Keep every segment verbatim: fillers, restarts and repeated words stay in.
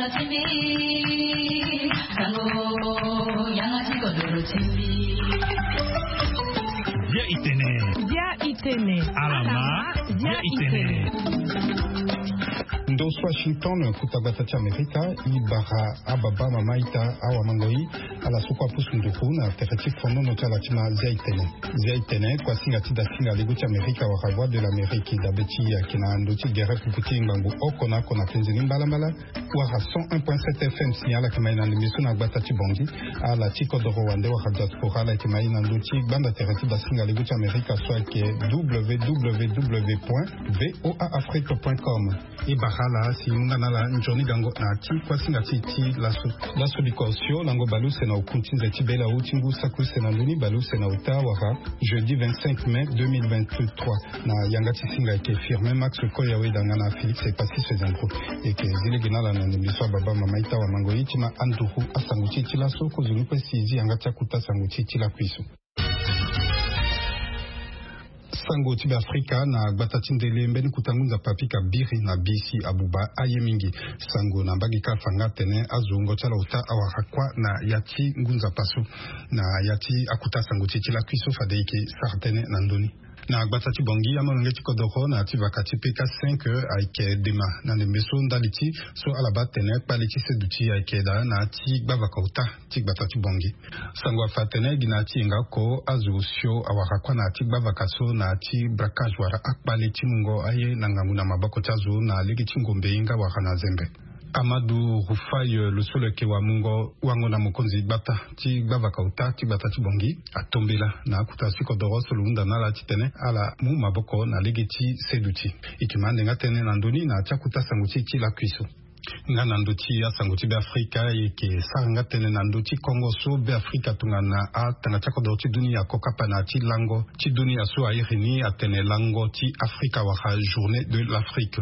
Bia itene. Bia itene. Alama. Bia itene. Ndo so Washington, kuta gbata ti Amerika, i bara ababa mama ita awa mango i ala so kue apusu nduku na tere ti fonono ti ala ti ma Zia itene. Zia itene, kuasinga ti dasinga lego ti Amerika wala Voix de l'Amérique, dabe ti ayeke na ndo ti gere pupu ti ngbangbo oko na oko na penze ni mbalambala, wala cent un point sept F M si ala yeke ma ye na ndembe so na gbata ti Bangui. Ala ti kodoro wande wala diaspora ala yeke ma ye na ndö ti gbanda tere ti dasinga lego ti Amerika so ayeke www point voa afrique point com. E bara ala si e mu nga na ala nzoni gango na ya ti kuasinga ti e ti laso. Laso biko osio lango baleuse na oku ti nze ti bela awu ti ngu saki use na ndoni baleuse na ota wala jeudi vingt-cinq mai deux mille vingt-trois. Na yanga ti singa ayeke Firmin Max Koya Wedanga na Félix Epassi Sezandro. E yeke zi lege na ala na ndembe so ababa mama ita wa mango ye ti ma anduru asango ti e ti laso kozoni kue si e zi yanga ti akuta sango ti e ti lakui so. Sango ti Beafrika na gbata ti ndele mbeni kuta ngu nzapa apika biri na bisi abuba aye mingi. Sango na mbage kâ afa nga atene azo wungo ti ala ota awara kuâ na ya ti ngu nzapa so. Na ya ti akuta sango ti e ti lakui so fade e yeke sara tënë na ndö ni. Na gbata ti Bangui amolenge ti kodoro na ya ti vaka ti P K cinq ayeke dema na ndembe so ndali ti so ala baa atene kpale ti seduti ayeke daa na ya ti gbavaka ota ti gbata ti Bangui. Sango afa atene gi na ya ti yenga oko azo osio awara kuâ na ya ti gbavaka so na ya ti braquage wala akpale ti mungo aye na ngangu na maboko ti azo na lege ti ngombe hinga wala na zembe. Amadou Rufai, eh, lo so lo yeke wamungo wango na mokonzi gbata ti gbavaka ota ti gbata ti Bangui atombela na akuta ti kodoro so lo hunda na ala titene ala mu maboko na lege ti seduti. E yeke ma ande nga tënë na ndö ni na ya ti akuta sango ti e ti lakui so. Nga na ndö ti asango ti Beafrika e yeke sara nga tënë na ndö ti kongo so Beafrika tongana atanga ti akodoro ti dunia akokapa na ya ti lango ti dunia so airi ni atene lango ti Afrika wala Journée de l'Afrique.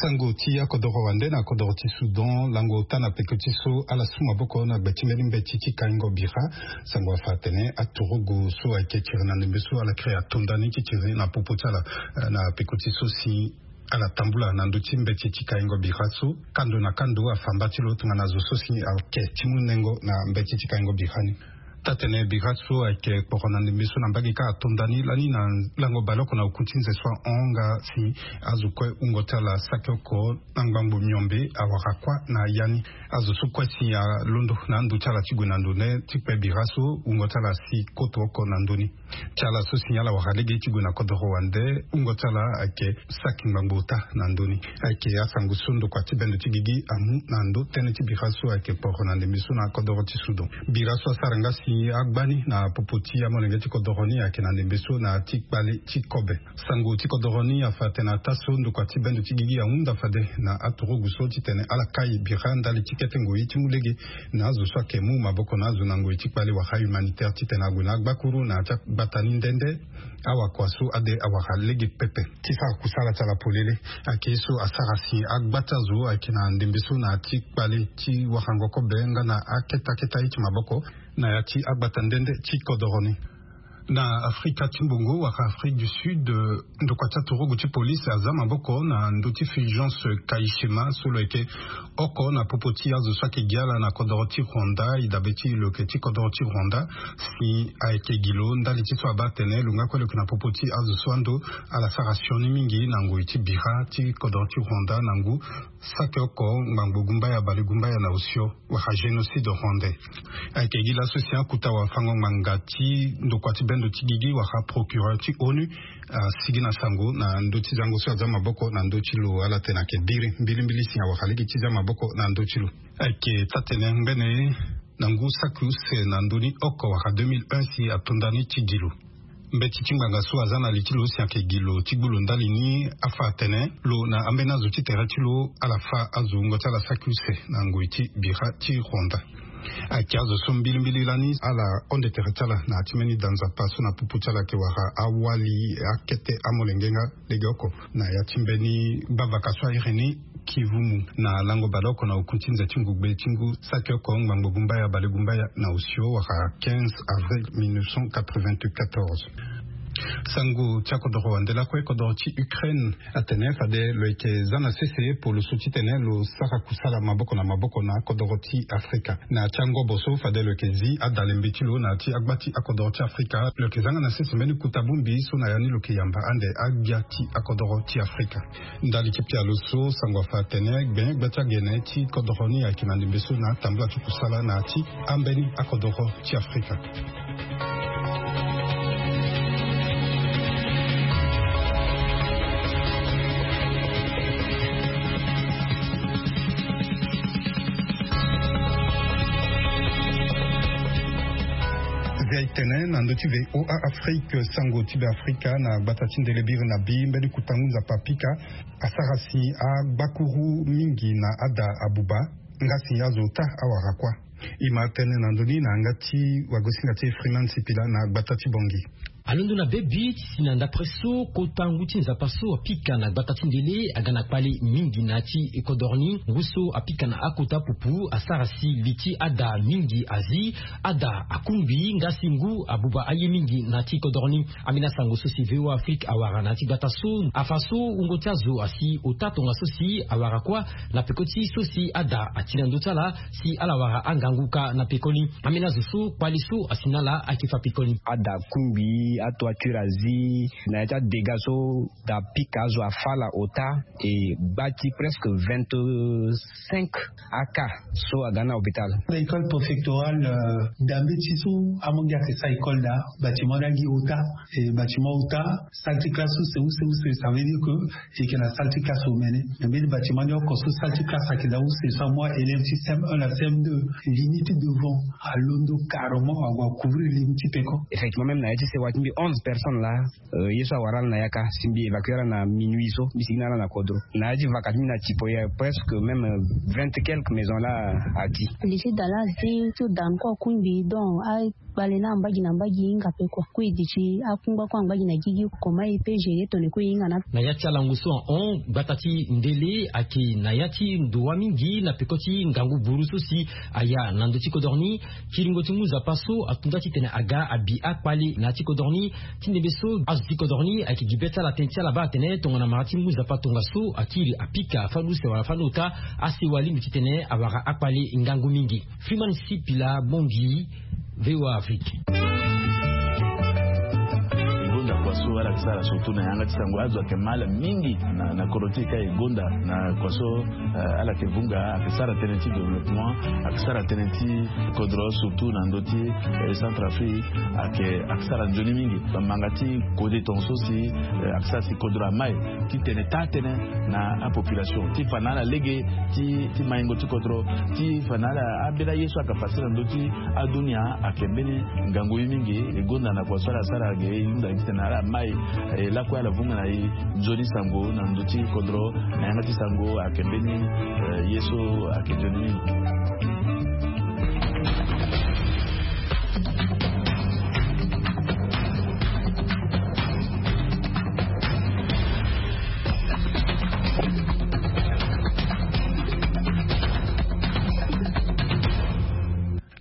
Sango ti akodoro wande na kodoro ti Soudan lango ota na peko ti so ala su maboko na gbe ti mbeni mbeti ti kaingo bira. Sango afa atene aturugu so ayeke tiri na ndembe so ala kiri atonda ni ti tiri na popo ti ala, eh, na peko ti so si ala tambula na ndö ti mbeti ti kaingo bira so kando na kando afa mba ti lo tongana zo so si ayeke ti mu nengo na mbeti ti kaingo bira ni. Taa-tene bira so ayeke kporo na ndembe so na mbage kâ atonda ni lani na lango baleoko na oku ti nze so ahon nga si azo kue wungo ti ala saki oko na ngbangbo miombe awara kuâ na ya ni. Azo so kue si alondo na ando ti ala ti gue na ndo ne ti kpe bira so wungo ti ala si koto oko na ndö ni. Ti ala so si ala wara lege ti gue na kodoro wande wungo ti ala ayeke saki ngbangbo ota na ndö ni. Ayeke asango so ndokua ti bendo ti gigi amu na ndö tënë ti bira so ayeke kporo na ndembe so na kodoro ti Soudan. Bira so asara nga si agba ni na popo ti amolenge ti kodoro ni ayeke na ndembe so na ya ti kpale ti kobe. Sango ti kodoro ni afa atene ataa so ndokua ti bendo ti gigi ahunda fade na aturugu so titene ala kai bira ndali ti kete ngoi ti mu lege na azo so ayeke mu maboko na azo na ngoi ti kpale wala humanitaire titene ague na agbakuru na ya ti agbata ni nde nde. Awakua so ade awara lege pepe ti sara kusala ti ala polele. Ayeke ye so asara si agba ti azo ayeke na ndembe so na ya ti kpale ti warango kobe nga na akete akete aye ti maboko na ya ti agbata nde nde ti kodoro ni. Na Afrika ti mbongo wala Afrique du Sud, eh, ndokua ti aturugu ti polise aza maboko na ndö ti Fulgence Kayishema so lo yeke oko na popo ti azo so ayeke gi ala na kodoro ti Rwanda, e dabe ti lo yeke ti kodoro ti Rwanda, si ayeke gi lo ndali ti so abaa atene lo nga kue lo yeke na popo ti azo so ando ala sara sioni mingi na ngoi ti bira ti kodoro ti Rwanda na ngu saki oko ngbangbo gumbaya bale gumbaya na osio wala génocide rwandais. Ayeke gi laso si akuta wafango ngbanga ti ndokua ti bendo ti gigi wala procureur ti onu asigi na sango na ndö ti zango so aza maboko na ndö ti lo ala tene ayeke biri mbilimbili si awara lege ti za maboko na ndö ti lo. Ayeke taa-tene ngbene na ngu saki use na ndö ni oko wala deux mille un si atonda ni ti gi lo. Mbeti ti ngbanga so aza na li ti lo si ayeke gi lo ti gbu lo ndali ni afa atene lo na ambeni azo ti tere ti lo ala fa azo wungo ti ala saki use na ngoi ti bira ti Rwanda. Ayeke azo so mbilimbili lani ala honde tere ti ala na ya ti mbeni da nzapa so na popo ti ala ayeke wara awali akete amolenge nga lege oko na ya ti mbeni gbavaka so airi ni Kivumu na lango baleoko na oku ti nze ti ngugbe ti ngu saki oko ngbangbo gumbaya bale gumbaya na osio wala quinze avril mille neuf cent quatre-vingt-quatorze. Sango ti akodoro wande lakue kodoro ti Ukraine atene fade lo yeke za na sese polo so titene lo sara kusala maboko na maboko na kodoro ti Afrika. Na ya ti angobo so fade lo yeke zi adalembe ti lo na ya ti agba ti akodoro ti Afrika, lo yeke za nga na sese mbeni kuta bongbi so na ya ni lo yeke yamba ande agbia ti akodoro ti Afrika. Ndali ti pialo so sango afa atene gbe gba ti agene ti kodoro ni ayeke na ndembe so na atambula ti kusala na ya ti ambeni akodoro ti Afrika. Zia etene na ndö ti VOA Afrique, sango ti Beafrika na gbata ti ndele biri na bi mbeni kutangu nzapa apika asara si agbakuru mingi na ada abuba. Nga si azo ota awara kuâ. E ma tene na ndö ni na yanga ti wagosinga ti Freeman Sipila na gbata ti Bangui. Alondo na bebi ti si na ndapre so kota ngu ti nzapa so apika na gbata ti ndele aga na kpale mingi na ya ti kodoro ni. Ngu so apika na akota pupu asara si li ti ada mingi azi, ada akungbi nga si ngu abuba aye mingi na ya ti kodoro ni. Ambeni asango so si VOA Afrique awara na ya ti gbata so afa so wungo ti azo asi ota tongaso si awara kuâ na peko ti so si ada ati na ndö ti ala si ala wara angangu kâ na pekoni. Ambeni azo so kpale so asi na ala ayeke fa pekoni. Ada akungbi, atoiture azi, na ya ti adega so da apika azo afa ala ota. E gba ti presque vingt-cinq aka so aga na hôpital. École préfectorale, euh, da mbeti so amonge ayeke sara école da, bâtiment ni agi ota. E bâtiment ota, salle ti classe use use use, ça veut dire que e yeke na salle ti classe omene. Mais mbeni bâtiment ni oko so salle ti classe ayeke da use so amu aélève ti CM un na CM deux, li ni ti devant alondo carrément ague acouvrir li ni ti peko. Effectivement, même na ya ti sewa ti mbi onze personnes laa, euh, ye so awara ala na yaka si mbi évacuer ala na minuit so mbi sigi na ala na kodro. Na ya ti vaka ti mbi na tipo ya presque même, euh, vingt quelques maisons laa ati. Li ti da laa azi ti da ni kue akungbi donc a kpale na ambagi na ambagi e hinga pe kua. Kue e duti akungba kue ambagi na gigi comment e pe gérer tongana e kue e hinga na. Na ya ti alango so ahon, gbata ti ndele ayeke na ya ti ndo wâ mingi na peko ti ngangu buru so si aya na ndö ti kodoro ni. Kiringo ti ngu nzapa so atunga titene aga abi akpale na ya ti kodoro ni. Ti ndembe so azo ti kodoro ni ayeke gi be ti ala tënë ti ala baa atene tongana mara ti ngu nzapa tongaso akiri apika fani use wala fani ota, asewa alingbi titene awara akpale ngangu mingi. Freeman Sipila, Bangui, VOA Afrique. E gonda kua so ala yeke sara surtout na yanga ti sango, azo ayeke mal mingi na, na kodro ti e ka. E gonda na kua so, eh, ala yeke vunga, ayeke sara tënë ti développement, ayeke sara tënë ti kodro surtout na ndö ti, eh, Centrafrique, ayeke, ayeke sara nzoni mingi. Bamanga ti kode tongaso si, eh, ayeke sara si kodro amai titene taa tënë na apopulation ti fa na ala lege ti, ti maingo ti kodro, ti fa na ala ambeni aye so ayeke pase na ndö ti adunia. Ayeke mbeni ngangu ye mingi. E gonda na kua so ala sara ge e hunda titene ala mai, eh, lakue ala vunga na e nzoni sango na ndö ti kodro, na yanga ti sango ayeke mbeni, eh, ye so ayeke nzoni mingi.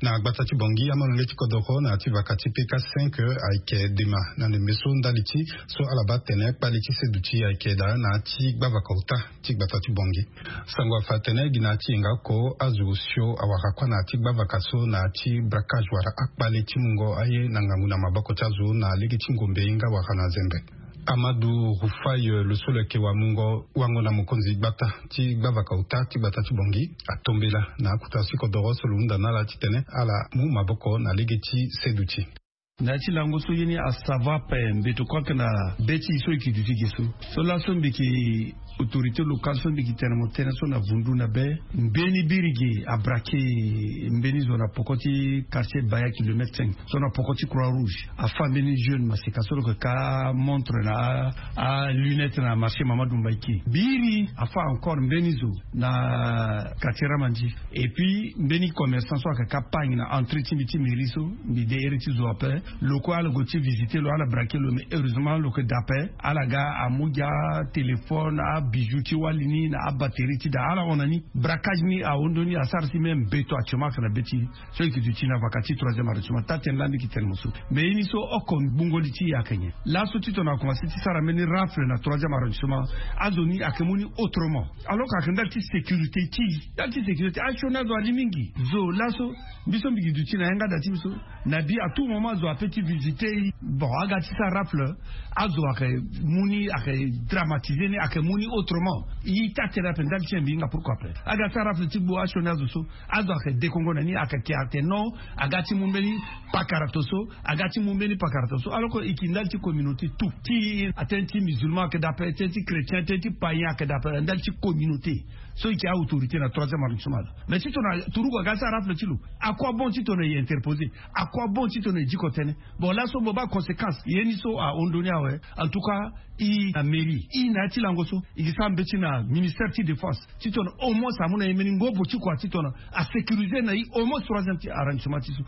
Na gbata ti Bangui, amolenge ti kodoro na ya ti vaka ti P K cinq ayeke dema na ndembe so ndali ti so ala baa tene kpale ti seduti ayeke daa na ya ti gbavaka ota ti gbata ti Bangui. Sango afa atene gi na ya ti yenga oko azo osio awara kue na ya ti gbavaka so na ya ti braquage wala akpale ti mungo aye na ngangu na maboko ti azo na lege ti ngombe nga wala na zembe. Amadou Rufai, eh, lo so lo yeke wamungo wango na mokonzi gbata ti gbavaka ota ti gbata ti Bangui, atombela na akota ti kodoro so lo hunda na ala titene ala mu maboko na lege ti seduti. Na ya ti lango so ye ni asava ape mbeto kue ayeke na be ti e so e yeke duti ge so. So laso mbi yeke autorité locale so mbi yeke tene mo tënë so na vundu na be, mbeni biri ge abrake mbeni zo na poko ti quartier Baya kilomètre cinq so na poko ti Croix Rouge. Afa mbeni jeune maseka so lo yeke ka montre na a, a lunette na marché Mamadou Mbaïké. Biri afa encore mbeni zo na quartier Ramandi. Et puis mbeni commerçant so ayeke ka pagni na entrée ti mbi ti mairie so, mbi de iri ti zo ape. Lo kue ala gue ti visiter lo, ala braquer lo, mais heureusement lo yeke da ape. Ala ga amu gi atéléphone, a Bijou ti wali ni na abatterie ti daa ala hon na ni. Braquage ni ahon ndoni asara si même beto actuellement ayeke na be ti so e yeke duti na vaka ti troisième arrondissement taa tene lani e yeke tene mo so. Mais ye ni so oko gbungo li ti e ayeke nyen? Laso titene akomanse ti sara mbeni rafle na troisième arrondissement, azo ni ayeke mu ni autrement. Alors que ayeke ndali ti sécurité ti e, ndali ti sécurité asioni azo ali mingi. Zo laso mbi so mbi gi duti na yanga da ti mbi so, na bi à tout moment azo ape ti visiter e. Bon, aga ti sara rafle, azo ayeke mu ni, ayeke dramatiser ni, ayeke mu ni autrement. E taa tene ape ndali ti e mbi hinga pourquoi ape aga ti sara rafle ti gbu asioni azo so, azo ayeke dekongo na ni, ayeke ke ayeke non, aga ti mu mbeni pakara to so, aga ti mu mbeni pakara to so. Alors que e yeke ndali ti communauté tout ti, atene ti musulman ayeke daa ape, tene ti chrétien, tene ti païen ayeke daa ape, ndali ti communauté. So e yeke autorité na troisième arrondissement laa. Mais titene turugu aga ti sara rafle ti lo, à quoi bon titene e interposer? À quoi bon titene e diko tënë? Bon, laso mo baa conséquence ye ni so ahon ndoni awe. En tout cas, e na mairie, e na ya ti lango so e ke sara mbeti na ministère ti défense titene au moins amu na e mbeni ngobo ti kua titene asécuriser na e au moins troisième ti arrondissement ti so.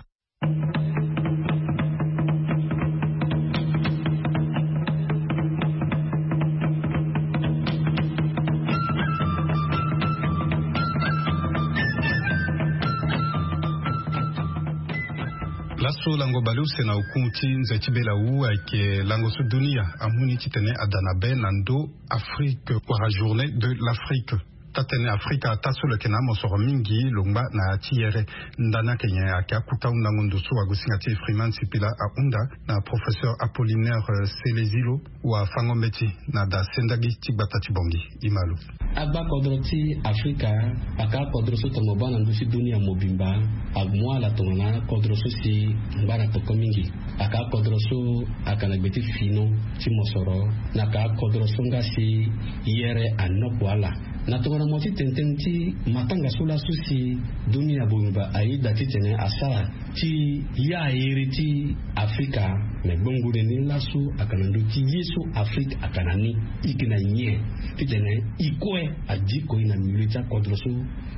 Laso lango baleuse na oku ti nze ti bela wu ayeke lango so dunia amu ni titene ada na be na ndo Afrique wala journée de l'Afrique. Taa tene Afrika ataa so lo yeke na amosoro mingi lo ngba na ya ti yere. Ndani ayeke nyen? Ayeke akuta hundango ndo so wagosinga ti e Freeman Sipila ahunda na professeur Apollinaire Selezilo, wafango mbeti na da sendagi ti gbata ti Bangui. E ma lo. Agba kodro ti Afrika ayeke akodro so tongana mo baa na ndö ti dunia mobimba, amu ala tongana akodro so si ngba na peko mingi. Ayeke akodro so ayeke na gbe ti fini ti mosoro, na ayeke akodro so nga si yere anoko ala. Na tongana mo ti tene tënë ti matanga so laso si dunia mobimba ayeda titene asara ti ya ere ti Afrika. Me gbongole ni laso ayeke na ndö ti ye so Afrika ayeke na ni. E yeke na nyen titene e kue adiko e na milieu ti akodro so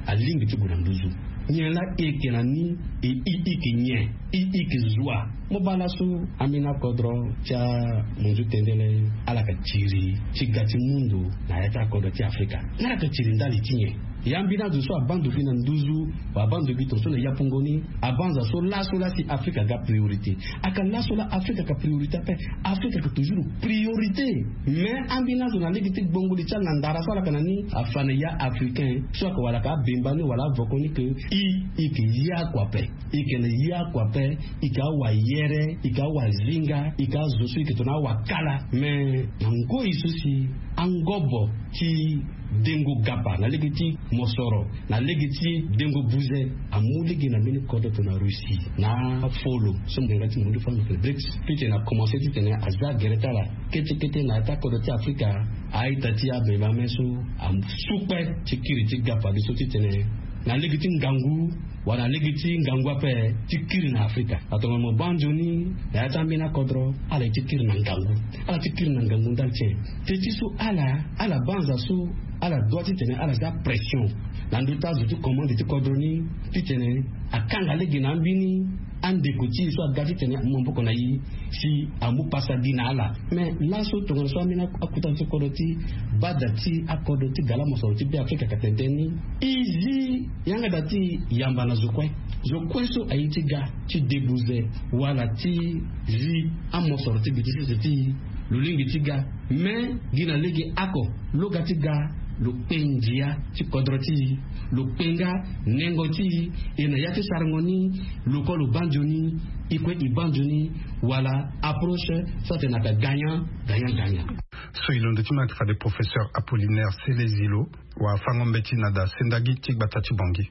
alingbi ti gue na nduzu? Nyen laa e yeke na ni? E, e, e yeke nyen? E, e yeke zo wa? Mo baa laso ambeni akodro ti amonzu tendele ala yeke tiri ti ga ti mundu na ya ti akodro ti Afrika. Ala yeke tiri ndali ti nyen? Ya ambeni azo so abaa ndo gi na nduzu, wala abaa ndo gi tongaso na yapungo ni, abaa nza so laso laa si Afrika aga priorité. Ayeke laso laa Afrika ayeke priorité ape. Afrika ayeke toujours priorité. Mais ambeni azo na lege ti gbongoli ti ala na ndara so ala yeke na ni afa na ya Africain so ayeke wala ayeke abemba ni wala avoko ni ke e, e yeke ye oko ape. E yeke na ye oko ape. E yeke awayere, e yeke awazinga, e yeke azo so e yeke tongana awakala. Mais na ngoi so si angobo ti dengo gapa na lege ti mosoro, na lege ti dengo buze, amu lege na mbeni kodro tongana Russie na afolo so mo yeke na ya ti mundu fani lo yeke BRICS. Titene akomanse titene aza gere ti ala kete kete na ya ti akodro ti Afrika. A-ita ti abembe ame so asu kpe ti kiri ti gapa li so titene na lege ti ngangu wala na lege ti ngangu ape ti kiri na Afrika. Atongana mo baa nzoni na ya ti ambeni akodro, ala ye ti kiri na ngangu. Ala ti kiri na ngangu ndali ti nyen? Te ti so ala, ala baa nza so ala dua titene ala za pression na ndö ti azo ti commande ti kodro ni titene akanga lege na ambeni andeko ti e so aga titene amu maboko na e si amu pasa gi na ala. Mais laso tongana so ambeni akota ti kodro ti bada ti akodro ti gala mosoro ti Beafrika ayeke tene tënë ni, e zi yanga da ti e yamba na zo kue. Zo kue so aye ti ga ti debuze wala ti zi amosoro ti gbe ti sese ti e, lo lingbi ti ga. Mais gi na lege oko lo ga ti ga, lo kpe ndia ti kodro ti e, lo kpe nga nengo ti e. E na ya ti sarango ni, lo kue lo baa nzoni, e kue e baa nzoni, wala approche so atene ayeke gagnant gagnant gagnant. So e londo ti mo ayeke fade professeur Apollinaire Selezilo, wafango mbeti na da sendagi ti gbata ti Bangui.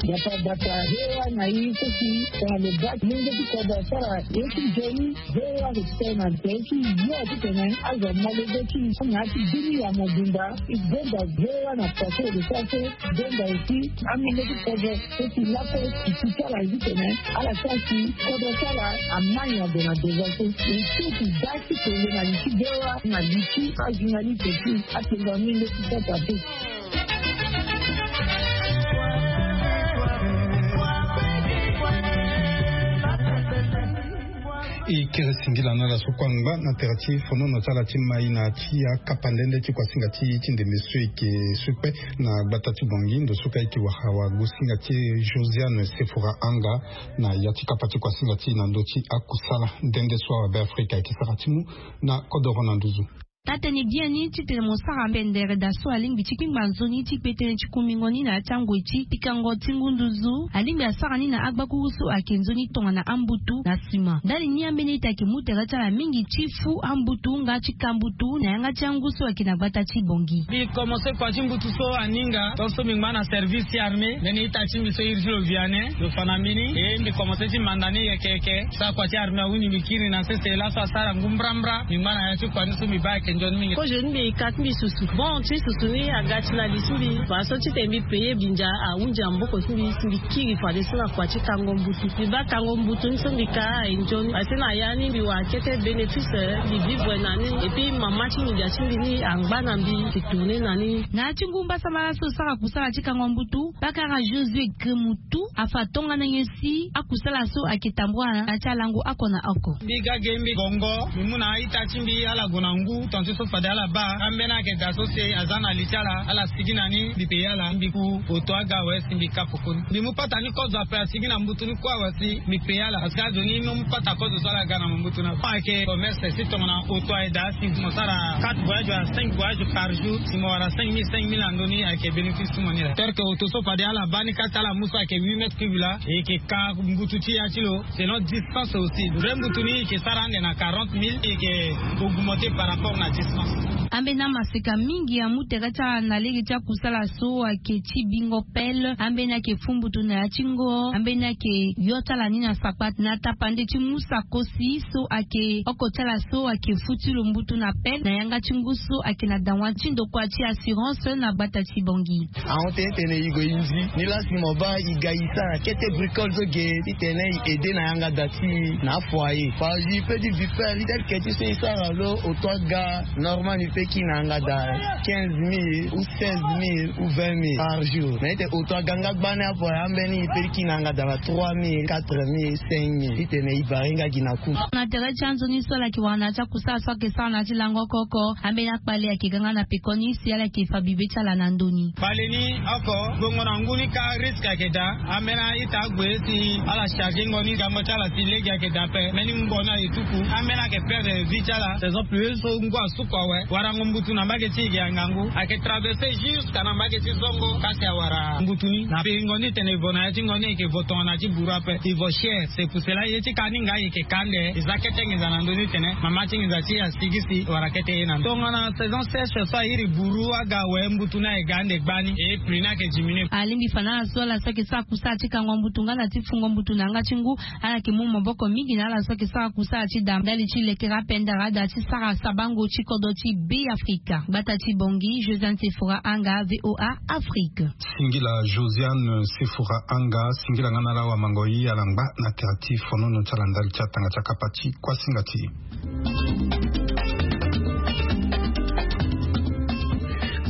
Gbata gbata, V O A na e so si tongana lo baa ti lenge ti kodro asara ye ti nzoni. V O A ayeke ti tene na tere ti yo titene azo amolenge ti e na ya ti dunia mobimba. E gonda V O A na pase lo sara so, e gonda aussi amolenge ti kodro so si lakue e si ti ala ye titene ala sara si kodro ti ala amai na gue na devant so. E so e baa ti tene na li ti V O A na li ti ajournaliste ti atenga amolenge ti sasa te. E kiri singila na ala so kue angba na tere ti fonono ti ala ti mai na ti akapa nde nde ti kuasinga ti ti ndembe so e yeke so kpe na gbata ti Bangui ndo so kue e yeke wara wagosinga ti e Josiane Sefora Anga na ya ti kapa ti kuasinga ti e na ndö ti akusala nde nde so awabe Afrika e yeke sara ti mu na kodoro na nduzu. Taa-tënë gi ya ni titene mo sara pendere daa so alingbi ti kpingba nzoni ti kpe tënë ti kumingo ni na ya ti angoi ti pikango ti ngu nduzu alingbi asara ni na agbakuru so ayeke nzoni tongana ambutu na sima ndali ni ambeni ita ayeke mu tere ti ala mingi ti fu ambutu nga ti ka mbutu na yanga ti angu so ayeke na gbata ti Bangui. Mbi komanse kua ti mbutu so aninga tongaso mbi ngba na service ti armée mbeni ita ti mbi so iri ti lo Vianney lo fa na mbi ni e mbi komanse ti manda ni yeke yeke. Sara kua ti armée awini mbi kiri na sese laso asara ngu mbrambra mbi ngba na ya ti kua ni so mbi baa ayeke nzoni mingi. Kozo ni mbi ka ti mbi susu bon ti susu ni aga ti na li ti mbi. Faso titene mbi paye binza ahunzi na maboko ti mbi si mbi kiri fadeso na kua ti kango mbutu mbi baa kango mbutu ni so mbi ka aye nzoni fadeso na ya ni mbi wara kete bénéfice. Mbi vivre na ni epui mama ti nginza ti mbi ni angba na mbi mbi tourne na ni. Na ya ti ngu mbasambala so sara kusala ti kango mbutu bakara Josué Gremutu afa tongana nyen si akusala so ayeke tambula na ya ti alango oko na oko. Mbi ga ge mbi gongo mbi mu na a-ita ti mbi ala gue na ngu tongaso so fade ala baa ambeni ayeke daa so si aza na li ti ala ala sigi na ni mbi paye ala mbi ku oto aga awe si mbi ka koko ni mbi mu pata ni kozo ape asigi na mbutu ni kue awe si mbi paye ala parce que azo ni no mu pata kozo so ala ga na mo mbutu na fond ayeke commerce si tongana oto aye daa si mo sara quatre voyage wala cinq voyage par jour si mo wara cinq mille cinq mille na ndö ni ayeke bénéfice ti mo ni laa. Tel que oto so fade ala baa ni kâ si ala mu so ayeke huit mètres cube laa e yeke ka mbutu ti ya ti lo. Selon distance aussi vrai mbutu ni e yeke sara ande na quarante mille e yeke augmenter par rapport na distance. Ambeni amaseka mingi amu tere ti ala na lege ti akusala so ayeke ti bingo pelle ambeni ayeke fu mbutu na ya ti ngo ambeni ayeke yo ti ala ni na sakpate na tapande ti mu sakosi so ayeke oko ti ala so ayeke fu ti lo mbutu na pelle na yanga ti ngu so ayeke na dawa ti ndokua ti assurance na gbata ti Bangui. Ahon tene tene e gue e nzi ni laa si mo baa e ga e sara kete bricole so ge titene e aide na yanga da ti e na afoyer fazi pe ti vipere ti tel que ti so e sara lo oto aga normal ni pe kiri na yanga da quinze mille ou seize mille ou vingt mille par jour mais ete oto aga nga gbani afoyer ambeni e pe ti kiri na yanga da na trois mille quatre mille cinq mille titene e bare nga gi na ku. Na tere ti anzoni so ala yeke wara na ya ti akusala so ayeke sara na ya ti lango oko oko ambeni akpale ayeke ga nga na pekoni si ala yeke fa bibe ti ala na ndö ni. Kpale ni oko gbongo na ngu ni kâ risque ayeke daa. Ambeni a-ita ague si ala charger ngo ni gango ti ala si lege ayeke daa ape mbeni ngo ni aye tuku ambeni ayeke perdre vie ti ala saison pluieuse so ngu asuku awe warango mbutu na mbage ti e ge angangu ayeke traverser jusqu'à na mbage ti zongo kasi awara mbutu ni na piri ngo ni tene e vo na ya ti ngo ni e yeke vo tongana ti buru ape e vo cher. C'est pour cela ye ti ka ni nga e yeke ka ande e za kete nginza na ndö ni tene mama ti nginza ti e asigi si wala kete ye na ndö tongana saison sèche so airi buru aga awe mbutu ni aye ga ande gbani e prix ni ayeke diminuer. Alingbi fa na ala so ala so ayeke sara kusala ti kango mbutu nga na ti fungo mbutu na yanga ti ngu ala yeke mu maboko mingi na ala so ayeke sara kusala ti da ndali ti lekere apendere ada ti sara sabango ti kodro ti Beafrika gbata ti Bangui. Josiane Sefora Anga, VOA Afrique. Singila Josiane Sefora Anga singila nga na ala wamango ye ala ngba na tere ti fonono ti ala ndali ti atanga ti akapa ti kuasinga ti e.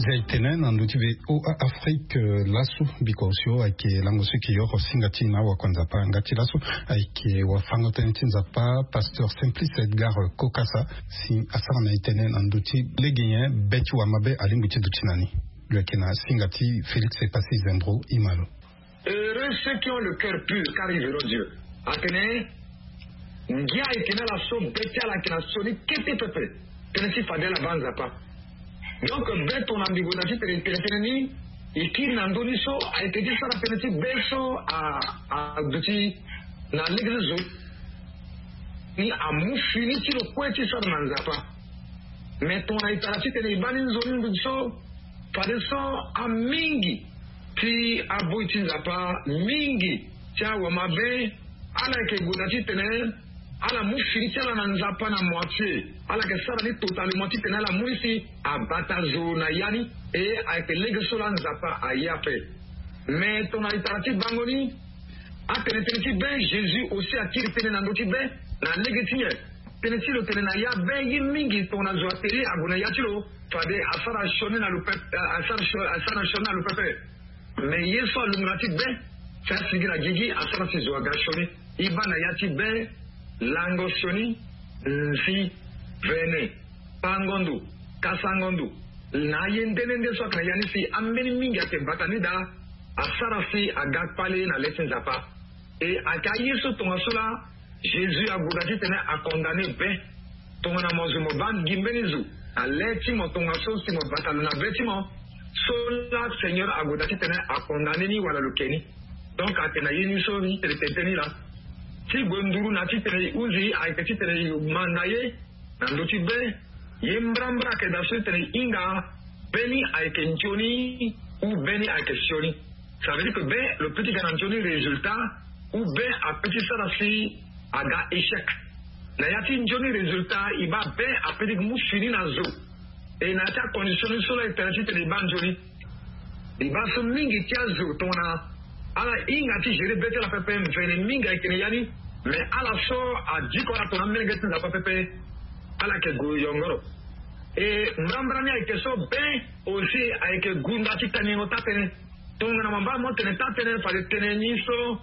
Zia e tene na ndö ti VOA Afrique laso biko osio ayeke lango so e yeke yoro singa ti e na awakuanzapa nga ti laso ayeke wafango-tënë ti Nzapa pasteur Simplice Edgar Kokasa si asara na e tënë na ndö ti lege nyen be ti wamabe alingbi ti duti na ni. Lo yeke na singa ti Félix Epassi Zembro. Imalo. Heureux ceux qui ont le cœur pur car ils verront Dieu. Atene ngia ayeke na ala so be ti ala ayeke na sioni kete pepe. Tënë ti fade ala baa Nzapa. Donc be tongana mbi gue na ti tene tene tënë ni e kiri na ndö ni so ayeke ti sara tënë ti be so aduti na lege ti zo ni amu fini ti lo kue ti sara na Nzapa. Mais tongana e tara titene e baa ni nzoni nduti so fadeso amingi ti aboi ti Nzapa mingi ti awamabe ala yeke gue na titene ala mu fini ti ala na Nzapa na moitié. Ala yeke sara ni totalement titene ala mu ni si abata zo na ya ni. E ayeke lege so laa Nzapa aye ape. Mais tongana e tara ti bango ni atene tënë ti be Jésus aussi akiri tënë na ndö ti be na lege ti nyen? Tënë ti lo tene na ya be ye mingi tongana zo atene ague na ya ti lo fade asara sioni na lo pepe. Asara sioni na lo pepe. Mais ye so alunga ti be ti asigi na gigi asara si zo aga sioni. E baa na ya ti be lango sioni, nzi, vene, pango ndo, kasango ndo. Na aye nde nde nde so ayeke na ya ni si ambeni mingi ayeke bata ni daa. Asara si aga kpale na le ti Nzapa. E ayeke aye so tongaso laa Jésus ague daa titene acondamne be. Tongana mo zo mo baa gi mbeni zo na le ti mo tongaso si mo bata lo na be ti mo, so laa Seigneur ague daa titene acondamne ni wala lo ke ni. Donc ayeke na ye ni so titene tene ni laa. Ti gue nduru na titene e hunzi ayeke titene e manda ye na ndö ti be. Ye mbrambra ayeke daa so titene e hinga be ni ayeke nzoni ou be ni ayeke sioni. Ça veut dire que be lo peut ti ga na nzoni résultat ou be apeut ti sara si aga échec. Na ya ti nzoni résultat e baa be apeut ti mu fini na zo. E na ya ti acondition ni so laa e tene titene e baa nzoni. E baa so mingi ti azo tongana ala hinga ti gérer be ti ala pepe, mvene mingi ayeke na ya ni. Mais ala so adiko ala tongana amolenge ti Nzapa pepe, ala yeke gue yongoro. E mbrambra ni ayeke so be aussi ayeke gunda ti kanyengo taa-tënë. Tongana mo baa mo tene taa-tënë fade tënë ni so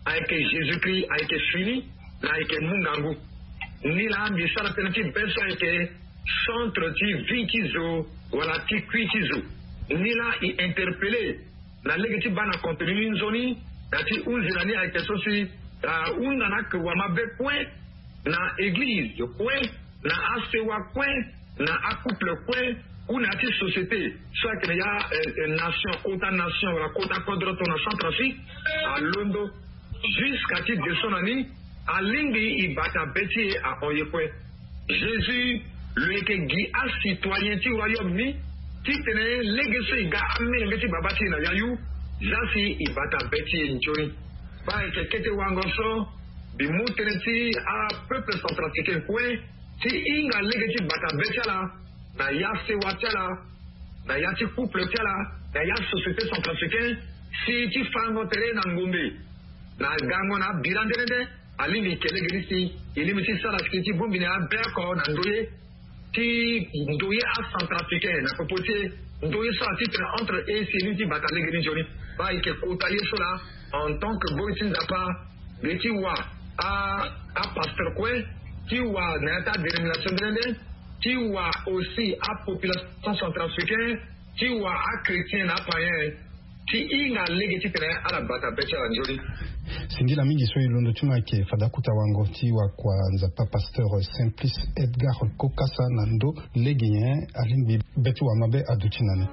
ayeke Jésus-Christ ayeke fini, na ayeke mu ngangu. Ni laa mbi sara tënë ti be so ayeke centre ti vie ti zo wala ti kui ti zo. Ni laa e interpellé na lege ti baa na contenu ni nzoni. Na ti hunzi na ni ayeke so si ahunda na ake wamabe kue, na église kue, na asewa kue, na acouple kue, ou na ya ti société so ayeke na ya, eh, eh, nation, kota nation wala kota kodro tongana Centrafrique, alondo jusqu'à ti de so na ni, alingbi e bata be ti e ahon ye kue. Jésus lo yeke gi acitoyen ti royaume ni titene lege so e ga amolenge ti baba ti e na yayu, za si e bata be ti e nzoni. Baa ayeke kete wango so mbi mu tënë ti apeuple centrafricain kue ti hinga lege ti bata be ti ala na ya sewa ti ala, na ya ti couple ti ala, na ya société centrafricain, si ti fango tere na ngombe na gango na abira nde nde nde. Alingbi e ke lege ni si e lingbi ti sara siki ti bongbi na abe oko na ndoye ti ndoye acentrafricain na popo ti e. Ndoye so atitre entre e si e lingbi ti bata lege ni nzoni. Baa e yeke kota ye so laa en tant que boi ti Nzapa, mbi ye ti wa a apasteur kue, ti wa na ya ti adénomination nde nde nde, ti wa aussi apopulation centrafricain, ti wa achrétien na apayen, ti hinga lege titene ala bata be ti ala nzoni. Singila mingi so e londo ti mo ayeke fade akota wango ti wakua Nzapa pasteur Simplice Edgar Kokasa na ndo lege nyen alingbi be ti wamabe aduti na ni.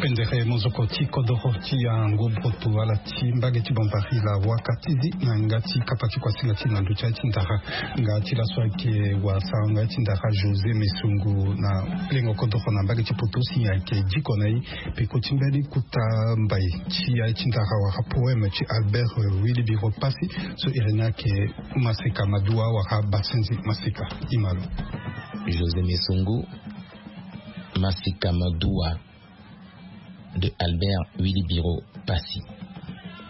Pendere mozoko ti kodoro ti yango broto ala ti mbage ti Bambari la waka ti zi na yanga ti kapa ti kuasinga ti na ndo ti aye ti ndara. Nga ti laso ayeke wasa nga ti ndara José Mesongo na lengo kodoro na mbage ti poto si ayeke diko na ye. Peko ti mbeni kuta mbai ti aye ti ndara wara poème ti Albert Wilibiro Pasi so iri ni ayeke Maseka Madua wara Basenzi Maseka. Imalo. José Mesongo, Masika Madua de Albert Wilibiro Pasi.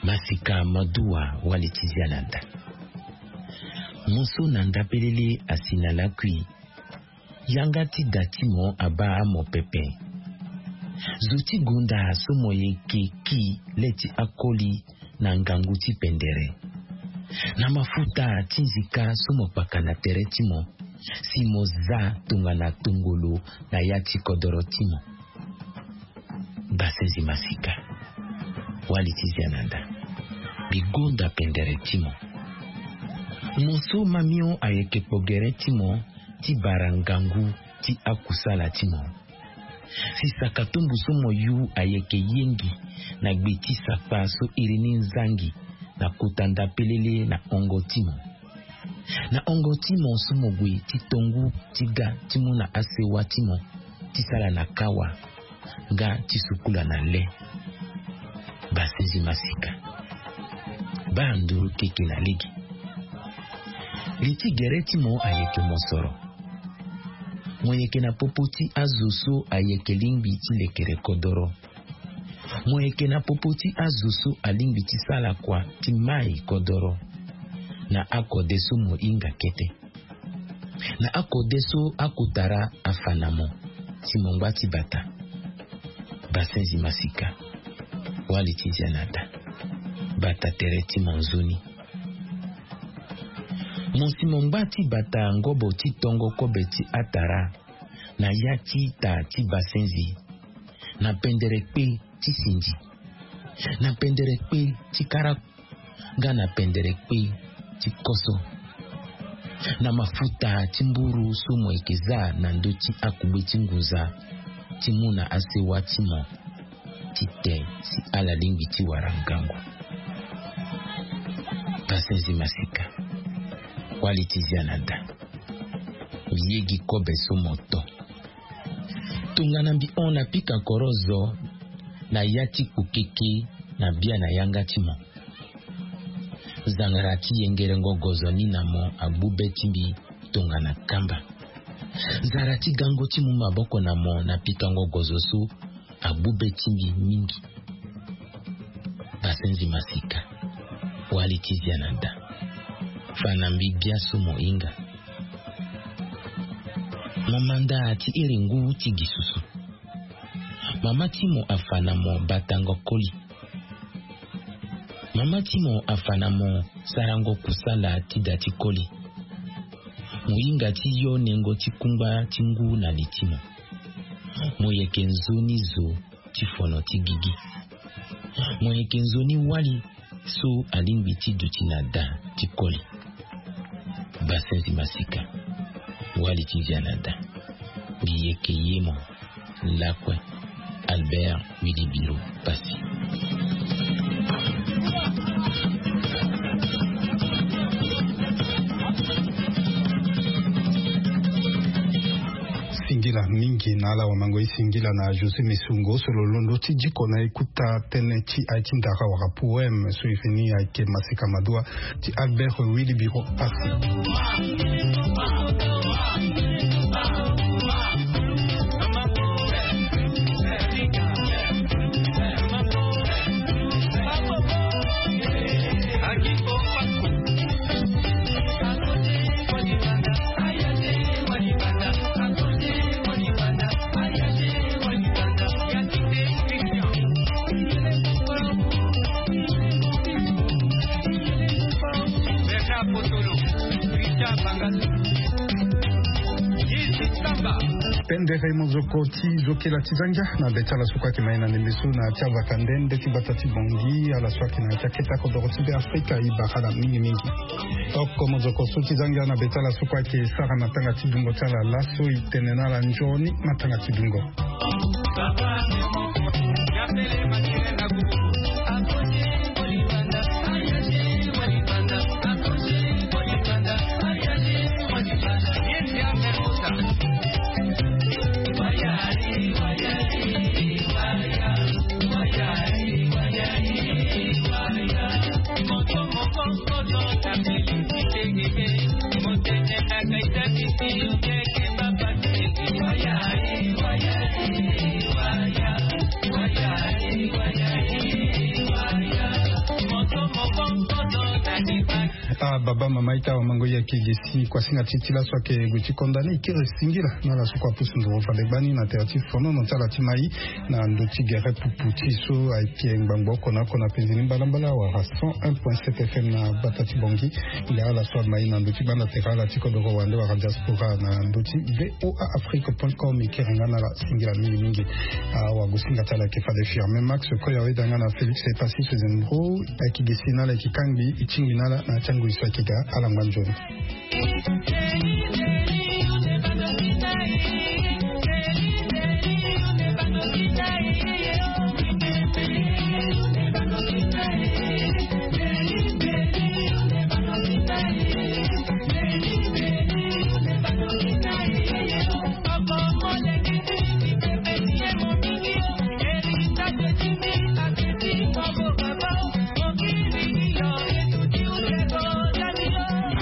Masika Madua wali ti zia na nda. Mo so na nda pelele asi na lakui. Yanga ti da ti mo abaa mo pepe. Zo ti gonda so mo yeke ki le ti akoli na ngangu ti pendere. Na mafuta ti nzika so mo kpaka na tere ti mo si mo za tongana tongolo na ya ti kodoro ti mo. Basenzi Masika wali ti zia na nda. Mbi gonda pendere ti mo. Mo so mamio ayeke kpo gere ti mo ti bara ngangu ti akusala ti mo. Si saka tumbu so mo yu ayeke yengi na gbe ti sakpa so iri ni nzangi na kota nda pelele na hongo ti mo. Na hongo ti mo so mo gue ti tongu ti ga ti mu na asewa ti mo ti sala na kawa nga ti sukula na le. Basenzi masika. Baa nduru keke na lege. Li ti gere ti mo ayeke mosoro. Mo yeke na popo ti azo so ayeke lingbi ti lekere kodoro. Mo yeke na popo ti azo so alingbi ti sala kua ti mai kodoro. Na akode so mo hinga kete. Na akode so akotara afa na mo si mo ngba ti bata. Basenzi masika. Wali ti zia na da. Bata tere ti mo nzoni. Mo si mo ngba ti bata ngobo ti tongo kobe ti atara na ya ti ita ti basenzi. Na pendere kpe ti sindi. Na pendere kpe ti kara nga na pendere kpe ti koso. Na mafuta ti mburu so mo yeke za na ndö ti akugbe ti ngunza ti mu na asewa ti mo ti te si ala lingbi ti wara ngangu. Basenzi masika. Wali ti zia na da. Yegi kobe so mo to. Tongana mbi hon na pika koro zo na ya ti kpukeke na bia na yanga ti mo. Zangara ti yengerengo gozo ni na mo agbu be ti mbi tongana kamba. Zara ti gango ti mu maboko na mo na pikango gozo so agbu be ti mbi mingi. Basenzi masika. Wali ti zia na da. Fa na mbi gbia so mo hinga. Mo manda ti iri ngu ti gi susu. Mama ti mo afa na mo batango koli. Mama ti mo afa na mo sarango kusala ti da ti koli. Mo hinga ti yo nengo ti kungba ti ngu na li ti mo. Mo yeke nzoni zo ti fono ti gigi. Mo yeke nzoni wali so alingbi ti duti na da ti koli. Basenzi masika. Wali ti zia na da. Mbi yeke ye mo. Lakue. Albert Wilibiro Passy. Singila mingi na ala wamango e singila na José Messungo so lo londo ti diko na e kota tënë ti aye ti ndara wala poème so e fini ayeke Maseka Madua ti Albert Wilibiro Passy. Pendere mozoko ti zokela ti zangia na be ti ala so kue ayeke mai na ndembe so na ti avaka nde nde ti bata ti Bongi ala so ayeke na ya ti akete akodoro ti Be Afrika e bara ala mingimingi. Oko mozoko so ti zangia na be ti ala so kue ayeke sara matanga ti dungo ti ala laso e tene na ala nzoni matanga ti dungo. Ah, baba mama ita wamango ya kegesi kuasinga ti ti laso ayeke gue ti konda ni e kiri singila na ala so kue apusu nduru fade gbani na tere ti fonono ti ala ti mai na ndö ti gere pupu ti so ayeke ngbangbo oko na oko na penzi ni mbalambala wala cent un point sept F M na bata ti Bongi. Nde ala so amai na ndö ti gbanda tere ala ti kodoro wande wala diaspora na ndö ti V O A Afrique point com e kiri nga na ala singila mingimingi. Awagosinga ti ala ayeke fade Firmin Max, koya weda nga na Félix Epasis Zenbro. Ayeke gesi na ala ayeke kangbi e tingbi na ala na ya ti angui so ayeke ga ala ngba nzoni.